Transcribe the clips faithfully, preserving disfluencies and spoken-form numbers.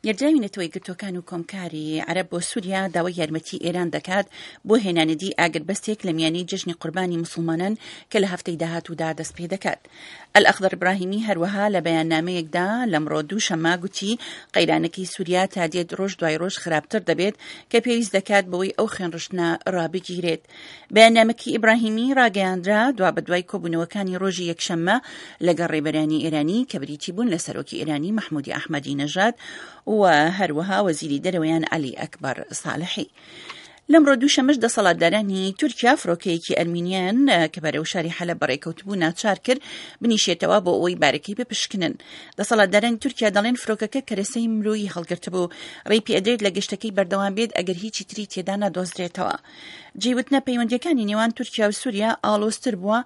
نێردراوی نەتەوە یەکگرتووەکان و کۆمکاری عەرەب بۆ سووریا داوای یارمەتی ئێران دەکات بۆ هێنانەدی ئاگربەستێک لە میانەی جەژنی قوربانی موسڵمانان کە لە هەفتەی داهاتوودا دەست پێ دەکات. ئەلئەخضەر ئیبراهیمی هەروەها لە بەیاننامەیەکدا لەمڕۆ دووشەممە گوتی قەیرانەکەی سووریا تا دێت ڕۆژ دوای ڕۆژ خراپتر دەبێت کە پێویست دەکات بەوەی ئەو خوێنڕشتنە ڕابگیرێت. بەیاننامەکەی ئیبراهیمی ڕاگەیاندرا دوابەدوای کۆبوونەوەکانی ڕۆژی یەکشەممە لەگەڵ ڕێبەرانی ئێرانی کە بریتی بوون لە سەرۆکی ئێرانی مەحمودی ئەحمەدی نەژاد و هەروەها وەزیری دەرەوەیان عەلی ئەکبەر ساڵحی. لەمڕۆ دووشەممەش دەسەڵاتدارانی تورکیا فڕۆکەیەکی ئەرمینیان کە بەرەو شاری حەلەب بەڕێکەوتبوو ناچار کرد بنیشێتەوە بۆ ئەوەی بارەکەی بپشکنن. دەسەڵاتدارانی تورکیا دەڵێن فڕۆکەکە کەرەسەی مرۆیی هەڵگرتبوو، ڕێی پێدرێت لە گەشتەکەی بەردەوام بێت ئەگەر هیچی تری تێدا نەدۆزرێتەوە. جێی وتنە پەیوەندیەکانی نێوان تورکیا و سووریا ئاڵۆزتر بووە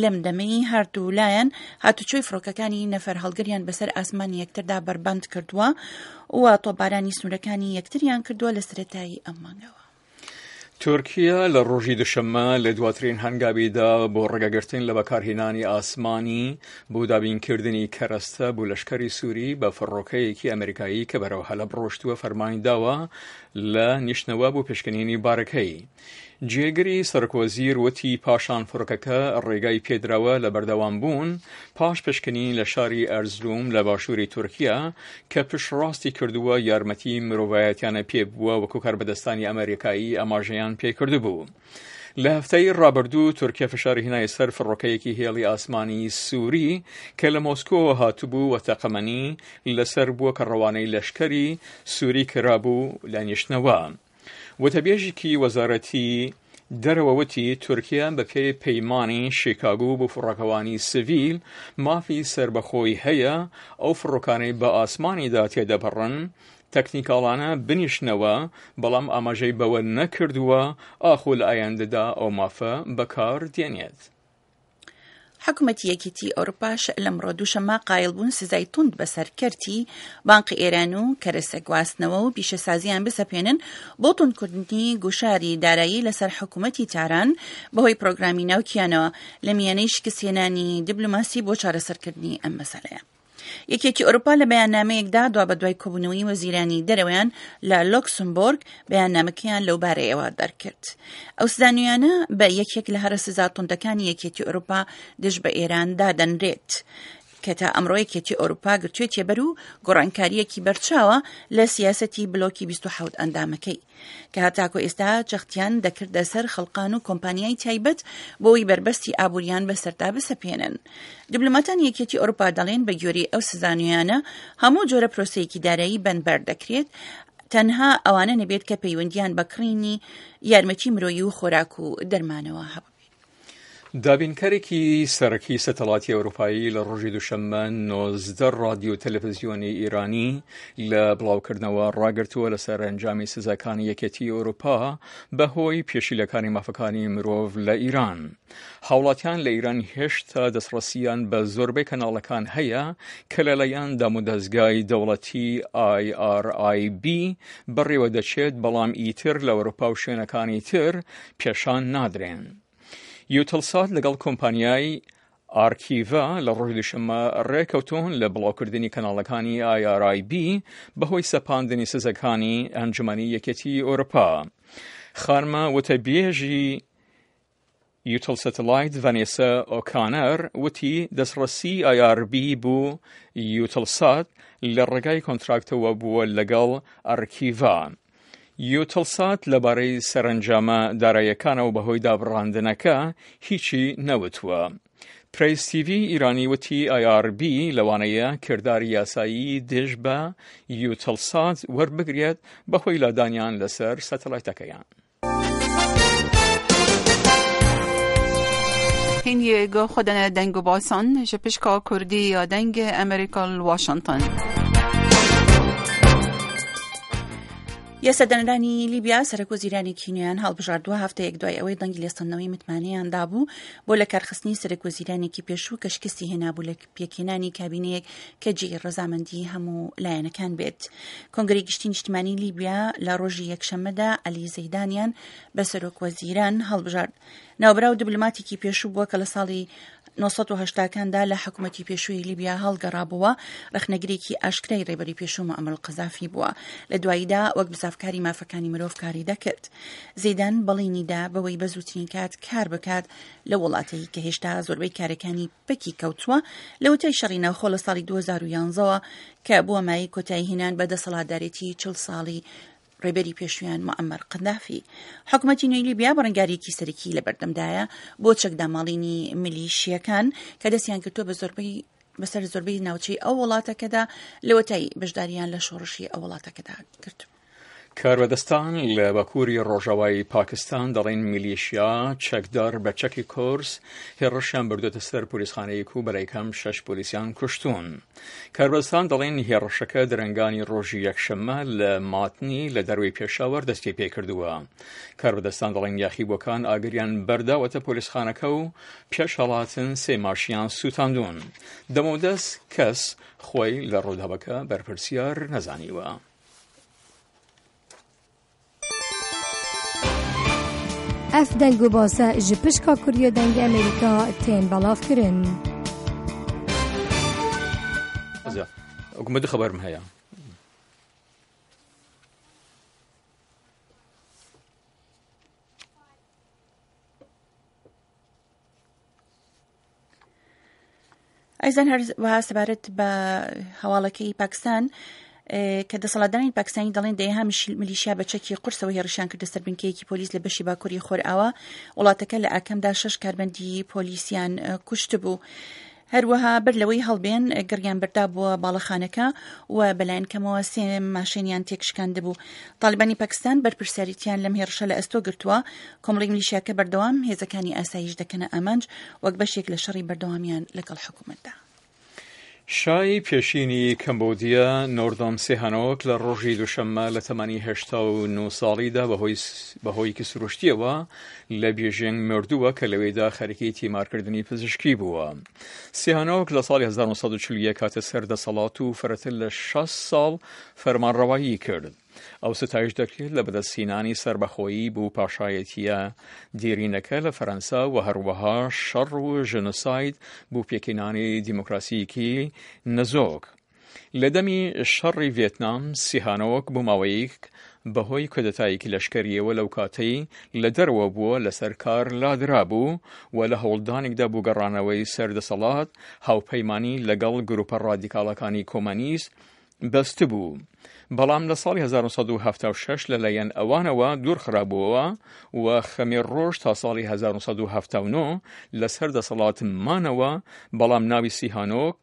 لەم دەمەی هەردوو لایەن هاتوچۆی فڕۆکەکانی نەفەر هەڵگریان بەسەر ئاسمانی یەکتردا بەربەند کردووە و تۆپبارانی سنوورەکانی یەکتریان کردووە لە سەرەتای ئەم مانگەوە. تورکیا لە ڕۆژی دوشەممە لە دواترین هەنگاویدا بۆ ڕێگەگرتن لە بەکارهێنانی ئاسمانی بۆ دابینکردنی کەرەستە بۆ لەشکری سووری بە فڕۆکەیەکی ئەمریکایی کە بەرەو حەلەب ڕۆشتووە فەرمانی داوە لە نیشتنەوە بۆ پشکنینی بارەکەی. جێگری سەرۆکوەزیر وتی پاشان فڕۆکەکە ڕێگای پێدراوە لە بەردەوام بوون پاش پشکنین لە شاری ئەرزروم لە باشووری تورکیا کە پشتڕاستی کردووە یارمەتی مرۆڤایەتیانە پێ بووە وەکو کاربەدەستانی ئەمریکایی ئاماژەیان پێکردبوو. لە هەفتەی ڕابردوو تورکیا فشاری هێنای سەر فڕۆکەیەکی هێڵی ئاسمانی سووری کە لە مۆسکۆوە هاتبوو و تەقەمەنی لەسەر بووە کە ڕەوانەی لەشکری سووری کرابوو لە نیشتنەوە. وتەبێژێکی وەزارەتی دەرەوە وتی تورکیا بە پێی پەیمانی شیکاگۆ بۆ فڕۆکەوانی سڤیل مافی سەربەخۆی هەیە ئەو فڕۆکانەی بە ئاسمانیدا تێدەپەڕن تەکنیکاڵانە بنیشنەوە، بەڵام ئاماژەی بەوە نەکردووە ئاخۆ لە ئایندەدا ئەو مافە بەکار دێنێت. حکومەتی یەکێتی ئەوروپاش لەمڕۆ دووشەممە قایل بوون سزای توند بەسەر کەرتی بانقی ئێران و کەرەسە گواستنەوە و پیشەسازیان بسەپێنن بۆ توندکردنی گوشاری دارایی لەسەر حکومەتی تاران بەهۆی پرۆگرامی ناوکیانەوە لە میانەی شکستهێنانی دیبلۆماسی بۆ چارەسەرکردنی ئەم مەسەلەیە. یەکێتی ئەوروپا لە بەیاننامەیەکدا دوابەدوای کۆبوونەوەی وەزیرانی دەرەوەیان لە لۆکسمبۆرگ بەیاننامەکەیان لەو بارەیەوە دەرکرد. ئەو سزا نوێیانە بە یەکێک لە هەرە سزا توندەکانی یەکێتی ئەوروپا دژ بە ئێران دادەنرێت کە تا ئەمڕۆ یەکێتی ئەوروپا گرتوێتیە بەر و گۆڕانکارییەکی بەرچاوە لە سیاسەتی بلۆکی بیست و حەوت ئەندامەکەی کە هەتاکو ئێستا جەختیان دەکردە سەر خەڵقان و کۆمپانیای تایبەت بۆی بەربەستی ئابووریان بەسەردا بسەپێنن. دیبلۆماتانی یەکێتی ئەوروپا دەڵێن بە گوێرەی ئەو سزا نوێیانە هەموو جۆرە پرۆسەیەکی دارایی بەندبەر دەکرێت، تەنها ئەوانە نەبێت کە پەیوەندیان بە کڕینی یارمەتی مرۆیی و خۆراک و دەرمانەوە هەبوو. دابینکەرێکی سەرەکی سەتەڵاتی ئەوروپایی لە ڕۆژی دووشەممە نۆزدە ڕادیۆ تەلەڤزیۆنی ئێرانی لە بڵاوکردنەوە ڕاگرتووە لەسەر ئەنجامی سزاکانی یەکێتی ئەوروپا بەهۆی پێشیلەکانی مافەکانی مرۆڤ لە ئیران. هاوڵاتیان لە ئیران هێشتا دەستڕەسیان بە زۆربەی کەناڵەکان هەیە کە لەلایەن دامودەزگای دەوڵەتی ئای ئار ئای بی بەڕێوە دەچێت، بەڵام ئیتر لە ئەوروپا و شوێنەکانی تر پێشان نادرێن. یوتڵسات لەگەڵ کۆمپانیای ئارکیڤا لە ڕۆژی دووشەممە ڕێکەوتون لە بڵاوکردنی کەناڵەکانی ئای ئار ئای بی بەهۆی سەپاندنی سزەکانی ئەنجومەنی یەکێتی ئەوروپا. خانمە وتەبێژی یوتڵ سەتەلایت ڤانێسا ئۆکانەر وتی دەستڕەسی ئای ئار بی بۆ یوتڵسات لە ڕێگای کۆنتراکتەوە بووە لەگەڵ ئەرکیڤا. یوتڵسات لەبارەی سەرەنجامە داراییەکانەوە بەهۆی دابڕاندنەکە هیچی نەوتووە. پرێس تیڤی ئیرانی وتی ئای ئار بی لەوانەیە کرداری یاسایی دژ بە یوتڵسات وەربگرێت بەهۆی لادانیان لەسەر سەتەلایتەکەیان. هینگی گو خودن دنگ و باسان جپشکا کردی یا دنگ ئەمریکا واشنگتن. یاسادانەرانی لیبیا سەرۆک وەزیرانێکی نوێیان هەڵبژاردووە هەفتەیەک دوای ئەوەی دەنگی لێستەندنەوەی متمانەیان دابوو بۆ لە کارخستنی سەرۆک وەزیرانێکی پێشوو کە شکستی هێنابوو لە پێکهێنانی کابینەیەک کە جێی ڕەزامەندی هەموو لایەنەکان بێت. کۆنگرەی گشتی نیشتمانی لیبیا لە ڕۆژی یەکشەممەدا عەلی زەیدانیان بە سەرۆک وەزیران هەڵبژارد. ناوبراو دیبلۆماتێکی پێشوو بووە کە لە ساڵی نۆ سەد و هەشتا کاندا لە حکومەتی پێشووی لیبیا هەڵگەڕابووە، ڕەخنەگرێکی ئاشکرای ڕێبەری پێشوو موعەمەر قەزافی بووە. لە دواییدا وەک بزاڤکاری مافەکانی مرۆڤ کاری دەکرد. زەیدان بەڵێنی دا بەوەی بە زووترین کات کار بکات لەو وڵاتەی کە هێشتا زۆربەی کارەکانی پەکی کەوتووە لەوەتای شەڕی ناوخۆ لە ساڵی دوو هەزار و یازدە وە کە بووە مایەی کۆتایی هێنان بە دەسەڵاتدارێتی چل ساڵی ڕێبەری پێشوویان موعەمەر قەدافی. حکومەتی نوێی لیبیا بەرەنگارییەکی سەرەکی لەبەردەمدایە بۆ چەکداماڵینی میلیشییەکان کە دەستیان گرتووە بە زۆربەی بەسەر زۆربەی ناوچەی ئەو وڵاتەکەدا لەوەتای بەشداریان لە شۆڕشی ئەو وڵاتەکەدا کردبوو. کاربەدەستان لە باکووری ڕۆژاوای پاکستان دەڵێن میلیشیا چەکدار بە چەکی کۆرس هێڕشیان بردوێتە سەر پۆلیسخانەیەک و بەلای کەم شەش پۆلیسیان کوشتوون. کاربەدەستان دەڵێن هێڕشەکە درەنگانی ڕۆژی یەکشەممە لە ماتنی لە دەروی پێشاوەر دەستی پێکردووە. کاربەدەستان دەڵێن یاخیبووەکان ئاگریان بەرداوەتە پۆلیسخانەکە و پێش هەڵاتن سێ ماشیان سووتاندوون. دەمەودەست کەس خۆی لە ڕووداوەکە بەرپرسیار نەزانیوە. ئەف دەنگ و باسە ji pişka Kuriya Dengê Amerîka tên belavkirin. وەکو دوو خەبەرم هەیە. ئایزان هەروەها سەبارەت بە هەواڵەکەی پاکستان کە دەسەڵاتدارانی پاکستانی دەڵێن دەیەها میلیشیا بە چەکی قورسەوە هێڕشیان کردە سەر بنکەیەکی پۆلیس لە بەشی باکووری خۆرئاوا وڵاتەکە، لە ئاکامدا شەش کارمەندی پۆلیسیان کوشتبوو. هەروەها بەر لەوەی هەڵبێن گڕیان بەردابووە باڵەخانەکە و بەلایەن کەمەوە سێ ماشێنیان تێکشکاندبوو. تاڵیبانی پاکستان بەرپرسیارێتیان لەم هێڕشە لە ئەستۆ گرتووە. کۆمەڵێک میلیشیاکە بەردەوام هێزەکانی ئاسایش دەکەنە ئامانج وەک بەشێک لە شەڕی بەردەوامیان لەگەڵ حکوومەتدا. شای پێشینی کەمبۆدیا نۆردۆم سیهانۆک لە ڕۆژی دووشەممە لە تەمەنی هەشتا و نۆ ساڵیدا بەهۆیەکی سروشتیەوە لە بیژینگ مردووە کە لەوێدا خەریکی تیمارکردنی پزیشکی بووە. سیهانۆک لە ساڵی هەزار و نۆ سەد و چل و یەک هاتە سەر دەسەڵات و فرەتر لە شەست ساڵ فەرمانڕەوایی کرد. ئەو ستایش دەکرێت لە بەدەستهێنانی سەربەخۆیی بۆ پاشایەتیە دێرینەکە لە فەرەنسا و هەروەها شەڕ و ژنۆساید بۆ پێکهێنانی دیموکراسییەکی نەزۆک. لە دەمی شەڕی ڤێتنام سیهانۆک بۆ ماوەیەک بەهۆی کودەتایەکی لەشکەریەوە لەو کاتەی لە دەرەوە بووە لەسەر کار لادرابوو و لە هەوڵدانێکدا بۆ گەڕانەوەی سەر دەسەڵات هاوپەیمانی لەگەڵ گروپە ڕادیکاڵەکانی کۆمەنیست بەستبوو، بەڵام لە ساڵی هەزار و نۆ سەد و حەفتا و شەش لەلایەن ئەوانەوە دوورخرابووەوە و خەمێر ڕۆژ تا ساڵی هەزار و نۆ سەد و حەفتا و نۆ لەسەر دەسەڵات مانەوە، بەڵام ناوی سیهانۆک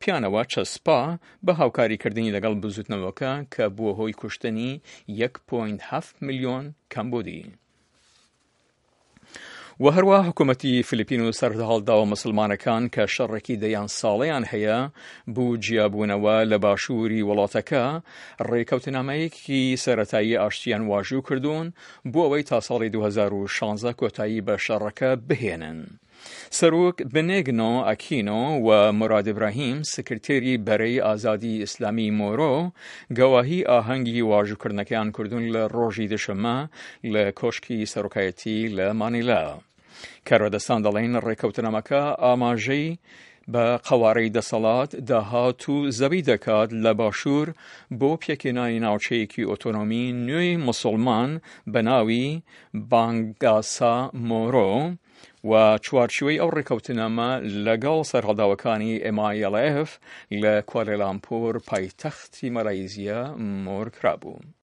پیانەوە چەسپا بە هاوکاریکردنی لەگەڵ بزوتنەوەکە کە بووە هۆی کوشتنی یەک پۆینت هەفت ملیۆن کەمبۆدی. و هەروەها حکوومەتی فلیپین و سەرهەڵداوە مسلمانەکان کە شەڕێکی دەیان ساڵەیان هەیە بۆ جیابوونەوە لە باشووری وڵاتەکە ڕێکەوتنامەیەکی سەرەتایی ئاشتیان واژوو کردوون بۆ ئەوەی تا ساڵی دوو هەزار و شازدە کۆتایی بە شەڕەکە بهێنن. سەرۆک بنێگنۆ ئەکینۆ و موراد ئیبراهیم سکرتێری بەرەی ئازادی ئیسلامی مۆرۆ گەواهی ئاهەنگی واژووکردنەکەیان کردوون لە ڕۆژی دوشەممە لە کۆشکی سەرۆکایەتی لە مانیلا. کاربەدەستان دەڵێن ڕێکەوتنامەکە ئاماژەی بە قەوارەی دەسەڵات، داهات و زەوی دەکات لە باشوور بۆ پێکهێنانی ناوچەیەکی ئۆتۆنۆمی نوێی موسڵمان بە ناوی بانگاسا مۆرۆ و چوارچیوەی ئەو ڕێکەوتنامە لەگەڵ سەرهەڵداوەکانی M I L F لە کوالالامپور پایتەختی مەلایزیا مۆر کرابوو.